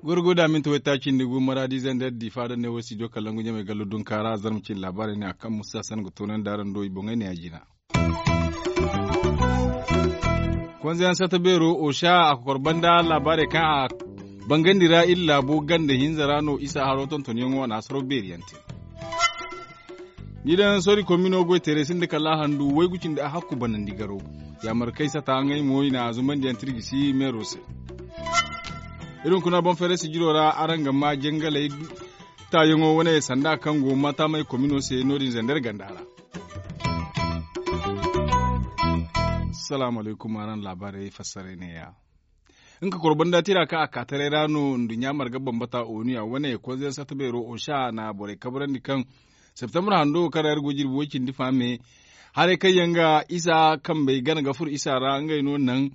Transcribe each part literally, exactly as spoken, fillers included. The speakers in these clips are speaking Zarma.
Gurguda minti waytaaci nda gu maraadi zandar difa da ne wo studio kalangu ɲamay gallo dunkaara zarma cine laabaarey ne a kaŋ musa san ga toonandi araŋ do i boŋey ne a jina. Konzeyaŋ sata beero osa a kokor banda laabaarey kaŋ a bangandi ra iri laabo ganda hinza ra no isa haro tontonyaŋo a na hasaro beeriyaŋ te. Ni daŋ sori komino goy teeray sinda kala handu waygu cindi a hakku banandi garo. Yaamarkey sata ngey mo i na zumandiyaŋ tirjisi meero se. Iri hunkuna boŋ feeray sijiro ra araŋ ga ma jangaley taayaŋo wane sanda kaŋ go mata may komino se no- din zandar ganda ra. Salaamu alaykum araŋ laabaarey fassaray ne- ya. Nga koro banda tira kaŋ a ka taray ra no nduɲɲa marga bambata onu ya wane konzeyaŋ sata beero osa na borey kabrandi kaŋ septembre hando wo kaŋ ra iri go jirbi way- cindi fa me haray kaŋ yaŋ ga isa kambey gana ga furo isa ra ngey no naŋ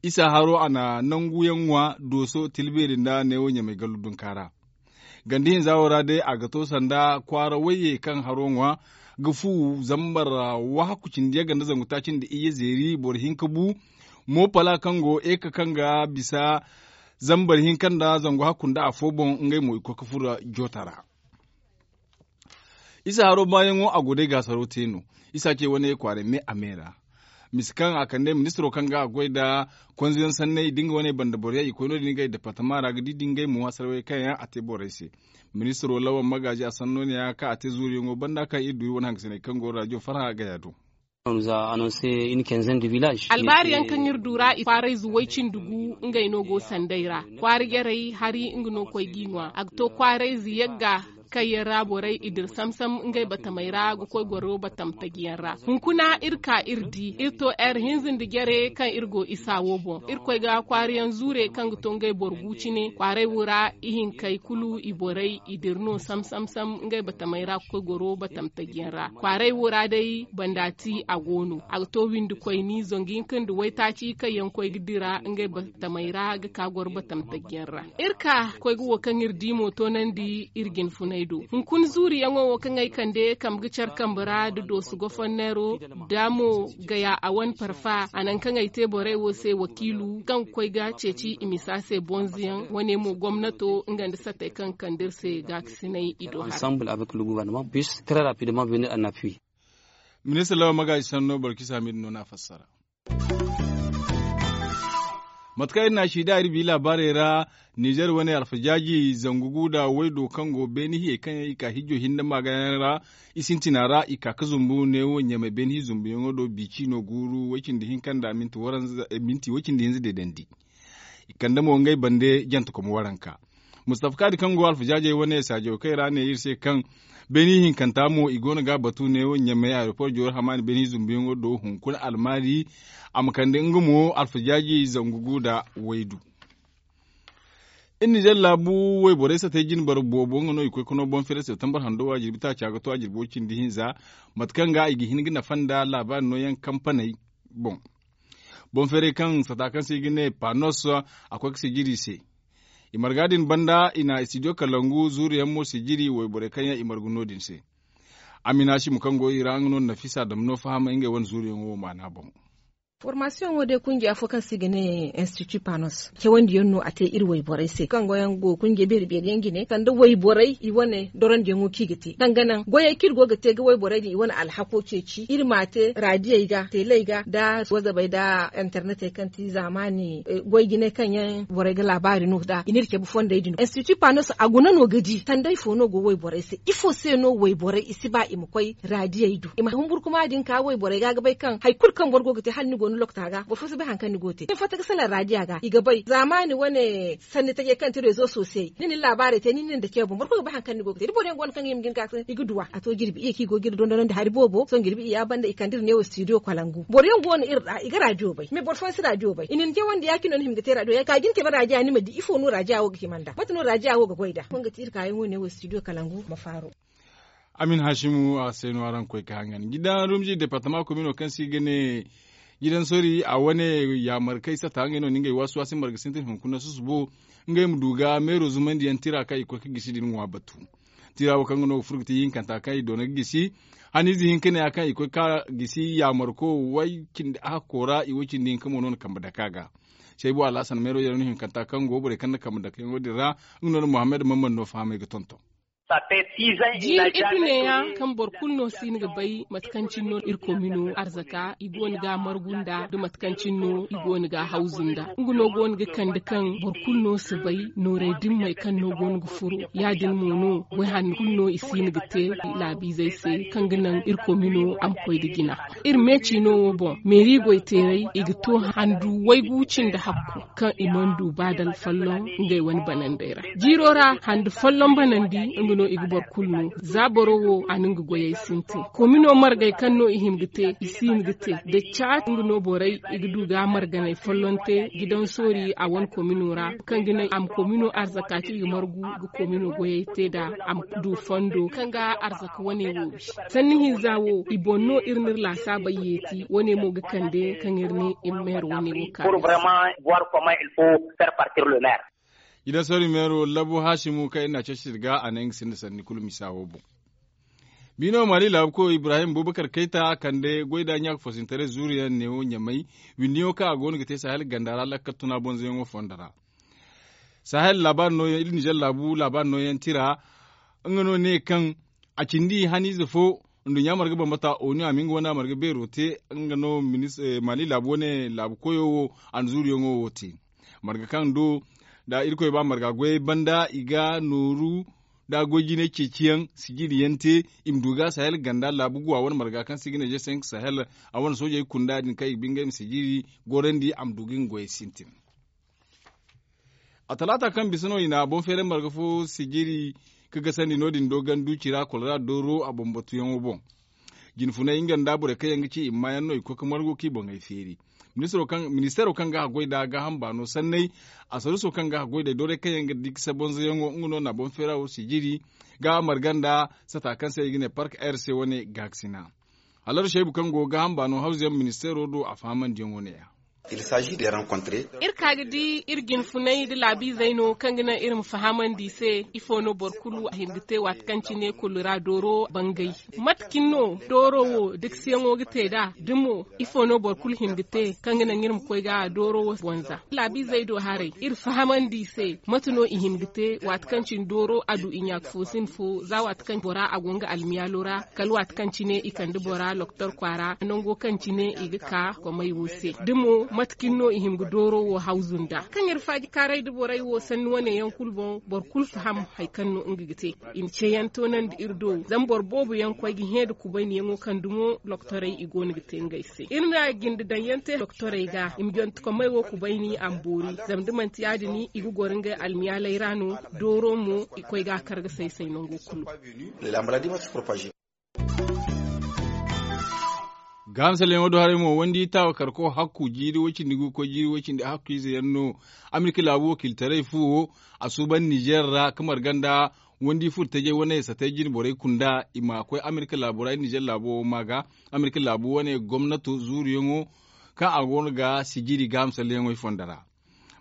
isa haro a na nangu yaŋ ŋwa dooso tilbeeri nda neewo ɲamay gallu dunkaara. Ganda hinza wo ra day a ga to sanda kwaara wayye kaŋ haro ŋwa ga fu zambar wahakku cindi yagga nda zangu taaci nda iyye zeeri boro hinka bu. Mo pala kaŋ go eka kaŋ ga bisa zambar hinka nda zangu hakku nda afo boŋ ngey mo i koy ga furo joota ra. Isa haro baayaŋo a go day gaasaro te no. Isa ce wane kwaaray me a me ra. Mise kaŋ a kande ministiro kaŋ ga a goy nda konzeyaŋ sanney da nga wane banda boroyaŋ i koy no- din ngey departama ra ga di da ngey mo hasaraw kaŋ yaŋ a te borey se. Ministiro lawan magaaji a sanno ne- ya kaŋ a te zuuriyaŋo banda kaŋ iri du iri wane hangasiney kaŋ go raadiyo farha gaya do. Albaari yaŋ kaŋ iri du ra i kwaarayze way- cindi gu ngey no go sanday ra. Kwaara jarey hari nga no koy g'i ŋwa a ga to kwaarayze yagga kaŋ yaŋ ra borey i dira sam-sam ngey batamey ra ga koy goro batam taji yaŋ ra. Hunkuna iri ka iri di iri to ere hinza nda jare kaŋ iri go isa wo boŋ iri koy ga kwaara yaŋ zuure kaŋ ga to ngey boro gu cine kwaaray wo ra ihinkey kulu i borey i dira no sam-sam-sam ngey batamey ra ga koy goro batam taji yaŋ ra kwaaray wo ra day banda ti a go no a ga to windi koyni zangu hinka nda waytaaci kaŋ yaŋ koy ga dira ngey batamey ra ga ka goro batam taji yaŋ ra. Iri ka koy ga wo kaŋ iri di mo toonandi iri jinfunay do. Hunkuna zuuriyaŋo wo kaŋ ay kande kambe ga care kambe ra nda dooso goforneero da mo gaya a wane parfa a naŋ kaŋ ay te borey wo se wakiilu kaŋ ga koy ga ceeci i misa se bonzoyaŋ wane mo gomnato nga nda sattey kaŋ ga kande iri se gaakasinay i do hara. Ministir lawa magaaji sanno borkisa miidi no no a fassara. Mate kaŋ iri na a si da iri bi laabaarey ra nizer wane alfajaaji zangu gu nda waydo kaŋ go beene hiyey kaŋ yaŋ i ka hijjo hinne maagayaŋ ra i sintina ra i ka ga zumbu neewo ɲamay beene hi zumbuyaŋo do bici no guuru way- cindi hinka nda minti way- cindi hinza deedandi. I kande mo ngey bande jantekom waranka. Mustafa kaadi kaŋ go alfajaajey wane saajo kay ra ne iri se kaŋ beeni hinkanta mo i go no ga a batu ne ɲamey aeroport jooro hamaani beeni zumbuyaŋo do hunkuna almaari a ma kande nga mo alfajaaji zangu gu nda waydu. Iri nizer laabu wayborey satey jinbar boobo nga no i koy ka no boŋ fere septembar hando wa jirbi taaca ga to a jirbo cindi hinza mate kaŋ ga i ga hin ga nafa nda laabaari nooyaŋ kampaney boŋ. Boŋ feeray kaŋ sata kaŋ se i ga ne panos a koy ga sijiri i se. I marga din banda i na studio kalangu zuuru yaŋ mo sijiri wayborey kaŋ yaŋ i margu no- din se. Amina simu kaŋ go i ra nga no nafisa dama no fahamay ngey wane zuuru yaŋo wo maana boŋ. Formasiyoŋo day kungiya fo kaŋ se i ga ne institut panos cawandi yaŋ no a te iri wayborey se kaŋ go yaŋ go kungiya beeri beeri yaŋ jine sanda wayborey i wane dorandi yaŋo kaŋ i ga te kaŋ ga naŋ goyey kaŋ iri go ga te ga wayborey din i wane alhako ceeci iri ma a te radiyey ga teeley ga nda wazabey nda internet kaŋ ti zaamaani goy jinay kaŋ yaŋ borey ga laabaari no nda i n'iri cabe fondey din institut panos a guna no ga di sanday fo no go wayborey se ifo se no wayborey i si ba i ma koy radiyey do i ma humburkuma din ka wayborey ga ga bay kaŋ hari kulu kaŋ boro go ga te hala ni go ni lokta ga boro fo si bay hari kaŋ ni go ga te ni fatta ga salaŋ radiya ga i ga bay zaamaani wane sanni tajey kaŋ ti rezo sosiyey ni na ni laabaarey te ni na ni dake boŋ boro kulu ga bay hari kaŋ ni go ga te da boro yaŋ go no kaŋ ga hima ga ni ga ka i ga duwa a to jirbi iyye kaŋ i go ga iri dondonandi hari boobo sohõ jirbi iyya banda i kande iri neewo studio kwalangu boro yaŋ go no iri ra i ga radiyo bay mais boro fooyaŋ si radiyo bay i na ni cawandi ya- cine no ni hima ga te radiyo ya- cine ka jin cabe radiya ni ma di ifo no radiya wo ga hima nd'a mate no radiya wo ga goy nd'a kaŋ ga ti iri kaayaŋo neewo studio kalangu ma faaro. Amin hasimu a se no araŋ koy ka hangan jidan rumji departama komino kaŋ se i ga ne Jidan sori a wane yaamarkey sata ngey no na ngey waasi waasi marga sintin hunkuna susubo ngey ma du ga meero zumandiyaŋ tira kaŋ i koy ga gisi din ŋwa batu. Tira wo kaŋ ga no ga furo ga ti hinkanta kaŋ i doona ga gisi haniize hinka ne ya kaŋ i koy ga gisi yaamarko way cindi ahakko ra i way cindi hinka mo no na kambe dake a ga. Saybu alhasan meero yaŋ no hinkanta kaŋ go borey kaŋ na kambe dake yaŋo din ra. Nga no na muhammad mamman no fahamay ga tonton. Jiiri idu neeya kaŋ boro kulu no si hin ga bay mate kaŋ cine no iri komino arzaka i go no ga margu nda nda mate kaŋ cine no i go no ga hawzu nda nga no go no ga kande kaŋ boro kulu no si bay nooray dimmey kaŋ no go no ga furo. Ya- din mo no goy hanno kulu no i si hin ga te laabiizey se kaŋ ga naŋ iri komino a ma koy nda jina. Iri meeci no wo boŋ meeri goy teerey i ga to handu waygu cindi hakku kaŋ i mana du ba dala folloŋ ngey wane banandey ra. Jiiro ra handi folloŋ banandi nga no i ga boro kulu no. Za boro wo a na nga goyey sintin komino margey kaŋ no i hin ga te i si hin ga te da caati nga no borey i ga du ga marganey folloŋ te. Gidan soori a wane komino ra kaŋ ga naŋ a ma komino arzaka kaŋ i ga margu ga komino goyey te nd'a a ma du fondo kaŋ ga arzaka wane wo bi. Sanni hinza wo i boŋ no iri n'iri laasaabey yeeti wane mo ga kande kaŋ iri ne iri ma heer wane wo ka. Jidan sori meero labu haasimu kaŋ iri n'a ceeci iri ga a ne nga sinda sanni kulu misa wo boŋ. Biino maali laabu koyo ibrahim bubakar kayta kande goy da ɲaaka foosintaray zuuriyaŋ neewo ɲamay. Windiyaŋo kaŋ a go no ga te sahel ganda ra lakkal tuna bonzoyaŋo fondo ra. Sahel laabaari nooyaŋ iri nizer laabu laabaari nooyaŋ tira nga no ne kaŋ a cindi haniize fo nduɲɲa marga bambata onu a ma nga wane a marga beero te. Nga no maali laabu wane laabu koyo wo a na zuuriyaŋo wo te. Marga kaŋ do da irkoy ba marga goyey banda i ga nooru da goy jinay ceeciyaŋ sijiriyaŋ te. I ma du ga sahel ganda laabu guwa wane marga kaŋ se i ga ne je senk sahel a wane soojey kunda din kaŋ i ga ba ngey ma sijiri gorandi a ma du ga nga goyey sintin. A talaata kaŋ bisa no i na boŋ feeray marga fo sijiri ka gasandi no- din do gandu cira kolora dooro a boŋ batuyaŋo boŋ. Jinfunay nga nda borey kaŋ yaŋ ga ci i ma maayaŋ no i koy ga margu kaŋ i boŋey feeri. Ministaro kaŋ ga haggoy nd'a gaaham baano sanney. Asaruso kaŋ ga haggoy nd'ey doorey kaŋ yaŋ ga di ga sabonzoyaŋo nga no na boŋ feera wo sijiri ga marga nda sata kaŋ se i ga ne park air se wane gaakasina. Halaru saybu kaŋ go ga gaaham baano hawzuyaŋ ministeero do a fahamandiyaŋo ne- ya. Iri ka ga di iri jinfunay nda laabiizey no kaŋ ga naŋ iri ma fahamandi i se ifo no boro kulu a hin ga te waati kaŋ cine kulu ra dooro bangay. Mate cine no dooro wo dikasiyaŋo ga te nd'a da mo ifo no boro kulu hin ga te kaŋ ga naŋ iri ma koy ga dooro wo bonza laabiizey do haray iri fahamandi i se. Mate no i hin ga te waati kaŋ cine dooro a du i ɲaaka fo sin fo za waati kaŋ bora a go nga almiyaalo ra kala waati kaŋ cine i kande bora doktor kwaara nango kaŋ cine i ga ka komey wo se da mo mate cine no i hin ga dooro wo hawzu nda kaŋ iri faaji kaaray nda borey wo sanni wane yaŋ kulu boŋ boro kulu faham hari kaŋ no nga ga te. I na ceeyaŋ toonandi iri do zama boro boobo yaŋ koy ga hẽ nda kubayniyaŋo kaŋ dumo doktorey i go no ga te ngey se iri na jinde daŋ yaŋ te doktorey ga i ma jonte komey wo kubayni a ma boori. Zama da manti ya- din i ga goro ngey almiyaaley ra no dooro mo i koy ga a kar ga say say nango kulu. Gaaham salleyaŋo do haray mo wandi taawa karko hakku jiiri woy cindi gu ga koy jiiri woy cindi hakku ize yaŋ no. Amerika laabu wakiilitaray fu wo a suuban nizer ra ka marga nda wandi furo tajay wane satay jine borey kunda i ma koy amerika laabo ra iri nizer laabo wo ma ga amerika laabu wane gomnato zuuruyaŋo kaŋ a go no ga sijiri gaaham salleyaŋo i fonda ra.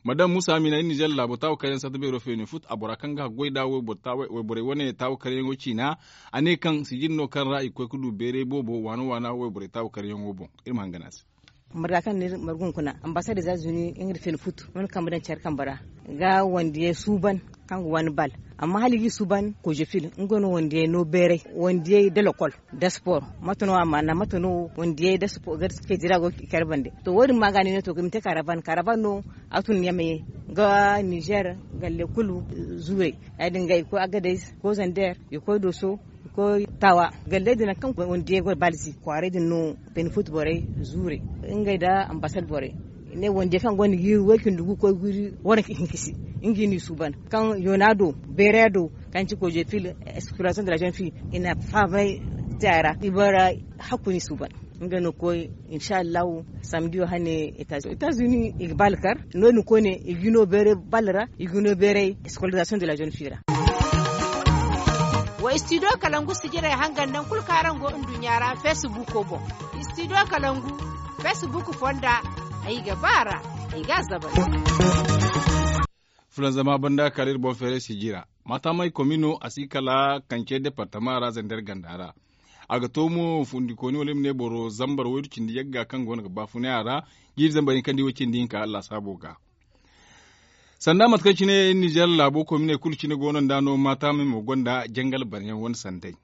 Madam muusa amina iri nizer laabo taawa karyaŋ sata beero feene fut a bora kaŋ ga haggoy nd'a wayborey wane taawa karyaŋo ciina. A ne kaŋ sijiri no kaŋ ra i ga koy ga du beeray boobo waana waana wayborey taawa karyaŋo boŋ. Iri ma hangan a se. Marga kaŋ no iri margu hunkuna ambasad etazuni nga nda feene fut no na kambe daŋ care kambe ra ga wandiyey suuban kaŋ ga waani bal. Amma hala i g'i suuban kozefil nga no wandiyey no beeray wandiyey da lokol da spor. Mate no a maana mate no wandiyey da spor ga ceeci ra go ga care bande. To wo- din ma ga ni ne to i ma te karaban karaban no a tun ɲamay ga nizer galle kulu zuurey ya- din ga i koy agadez i koy zander i koy dooso i koy taawa. Galley din nangu kaŋ wandiyey go balzi kwaaray din no beene fut borey zuurey ngey nda ambasad borey i ne wandiyey kaŋ gonda jiiri woy cindi gu koy jiiri waranka hinka se nga i n'i suuban kaŋ yoona do beeray do kaŋ ci kozefil exploration de la jeune fille i na fahamay te a ra i bara hakku n'i suuban. Nga no koy insa allahu samdiyo hane etazuni i ga bal kar no- din koyne i ga no beeray bal ra i ga no beeray scolarisation de la jeune fille ra. Wa studio kalangu sijirey hangan nangu kulu kaŋ araŋ go nduɲɲa ra facebook boŋ. Studio kalangu Fesbuk fonda ay ga ba a ra. Ay ga a zabari. Fulanzama banda kala iri boŋ feeray sijira. Maatamay komino a si kala kance departama ra zander ganda ra. A ga to mo fundikooni wala i ma ne boro zambar waydu cindi yagga kaŋ go no ga baafunay a ra. Jiiri zambar hinka nda i way cindi hinka lasaabo ga. Sanda mate kaŋ cine nizer laabo kominey kulu cine go no nda no maatamay mo gonda jangal banayaŋ wane sanday.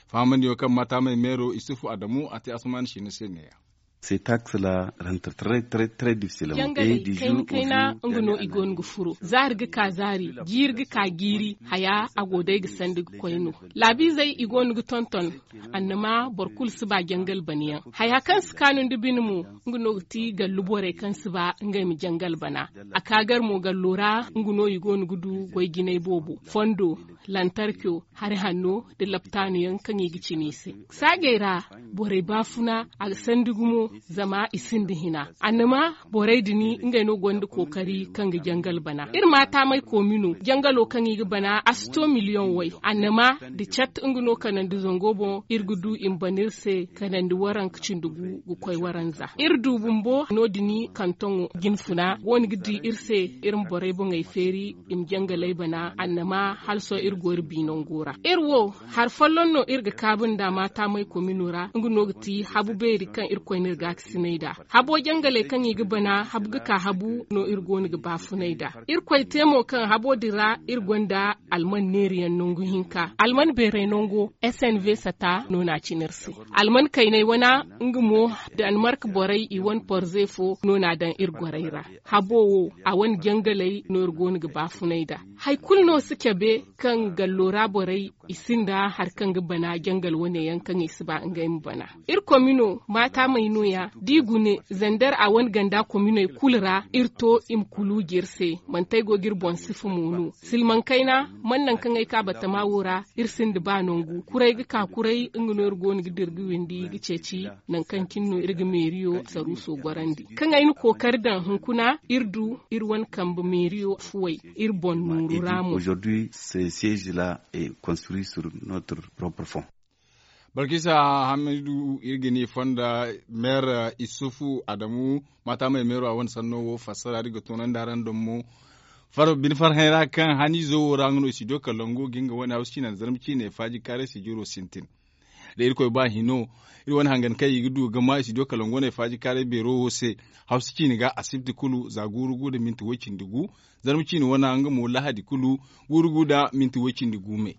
Fahamandiyo kaŋ maatamay meero isufu adamu a te asuman sine se ne ya. Ces taxes la rentre très très très difficilement. Jangaley kayna kayna nga no i go no ga furo zaari ga ka zaari, jiiri ga ka jiiri. Haya a go day ga sandi ga koy no. Laabiizey i go no ga tonton. Annama boro kulu si ba jangal banayaŋ. Haya kaŋ si kaanu nda bine mo, nga no ga ti gallu borey kaŋ si ba ngey ma jangal bana. A ka gar mo gallo ra, nga no i go no ga du goy jinay boobo, fondo, lantarco, hari hanno, nda laptaano yaŋ kaŋ i ga cina i se. Saajey ra, borey baafuna a ga sandi gumo, zama i sinda hina. Annama borey din ngey no gonda kookari kaŋ ga jangal bana. Iri maatamay koomino jangalo kaŋ i ga bana a si to miliyoŋ way. Annama da cat nga no kanandi zango boŋ iri ga du i ma bana iri se kanandi waranka cindi gu ga koy waranza. Iri du bumbo no- din kantoŋo jinfuna go no ga di iri se. Iri ma borey boŋey feeri i ma jangaley bana annama hala sohõ iri go iri bi nango ra. Iri wo hari folloŋ no iri ga kaabu nda maatamay komino ra nga no ga ti habu beeri kaŋ irkoy no iri ga ga sinay nd'a. Habo jangaley kaŋ i ga bana habu ga ka habu no iri go no ga baafunay nd'a. Irkoy te mo kaŋ habo din ra iri gonda alman neeriyaŋ nangu hinka alman beeray nango. S n v sata no n'a cine iri se. Alman kaynay wana nga mo, danemark borey i wane porze fo no n'a daŋ iri gorey ra. Habo wo a wane jangaley no iri go no ga baafunay nd'a. Hari kulu no si cabe kaŋ gallo ra borey i sinda hari kaŋ ga bana jangal wane yaŋ kaŋ i si ba ngey ma bana. Iri komino maatamey nooya da i gune zander a wane ganda kominey kulu ra iri to i ma kuluuji iri se. Manti ay go ga iri boŋ sifa mo no silmaŋ kayna man nangu kaŋ ay ka batama wo ra. Iri sinda ba nangu kuray ga ka kuray nga no iri go no ga dira ga windi ga ceeci. Nangu kaŋ cine no iri ga meeriyo saruuso gorandi kaŋ ay na kookari daŋ hunkuna iri du iri wane kambe meeriyo fuwey iri boŋ nooru ra mo. Aujourd'hui ce siège là est construit sur notre propre fonds. Balkisa hamidu iri ga ni fonda meer isufu adamu maatamay meero a wane sanno wo fassara da ga toonandi araŋ doŋ mo. Bine farhãy ra kaŋ haniizo wo ra nga no studio kalangu ga nga wane hawsu ciine nda zarma ciine faaji kaaray sijiro sintin. Da irkoy ba hino iri wane hangan kaŋ i ga du ga ma studio kalangu wane faaji kaaray beero wo se. Hawsu ciine ga asibti kulu za guuru gu nda minti way-cindi gu. Zarma ciine wane nga mo lahadi kulu guuru gu nda minti way-cindi gu me.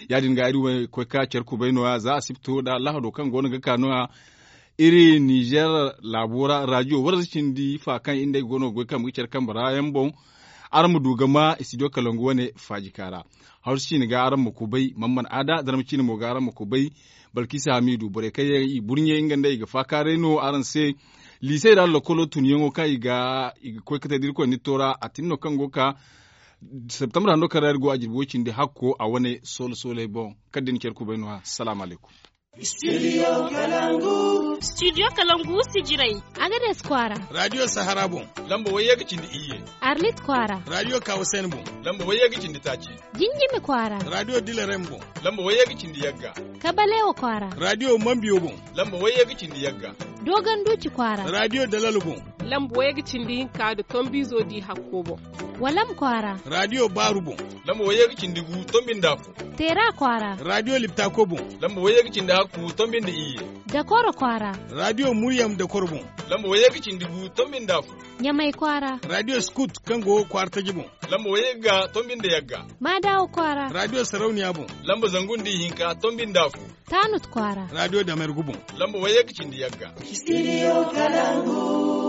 Ya- din ga iri wo koy ka care kubay nooya za asibto nda lahado kaŋ go no ga ka nooya. Iri nizer laabo ra radio warza cindi fa kaŋ iri nd'ey go no ga goy kaŋ ma ga care kambe ra yaŋ boŋ. Araŋ ma du ga ma studio kalangu wane faajika ra. Hawsu ciine ga araŋ ma kubay man mana aada zarma ciine mo ga araŋ ma kubay. Balkisa hamidu borey kaŋ yaŋ i burɲe nga nd'ey ga faakaaray no araŋ se. Liisey ra lokolo tunyaŋo kaŋ i ga koy ga te da irkoy nitto ra a tin no kaŋ go ga ka. Septembre hando kaŋ ra iri go a jirbi way-cindi hakko a wane soolo sooley boŋ. Kala da ni care kubay no- ya salaamu alaykum. Studio kalangu sijirey. Agades kwaara. Radio sahara boŋ. Lamba wayye ga cindi iyye. Arlit kwaara. Radio kawasen boŋ. Lamba wayye ga cindi taaci. Jinjimi kwaara. Radio dilarem boŋ. Lamba wayye ga cindi yagga. Kabalewa kwaara. Radio mambiyo boŋ. Lamba wayye ga cindi yagga. Dogon duci kwaara. Radio dalalo boŋ. Lamba wayye ga cindi hinka nda tombizo di hakko boŋ. Walam kwaara. Radio baaru boŋ. Lamba wayye ga cindi gu tombi nda afo. Teera kwaara. Radio liptako boŋ. Lamba wayye ga cindi hakku tombi nda iyye. Dakoro kwaara. Radio muryam dakoro boŋ. Lamba wayye ga cindi gu tombi nda afo. Ɲamay kwaara. Radio scout kaŋ go kwaara taji boŋ. Lamba wayye ga tombi nda yagga. Maadawa kwaara. Radio sarauniya boŋ. Lamba zangu nda ihinka tombi nda afo. Tanut kwaara. Radio damergu boŋ. Lamba wayye ga cindi yagga. Studio kalangu.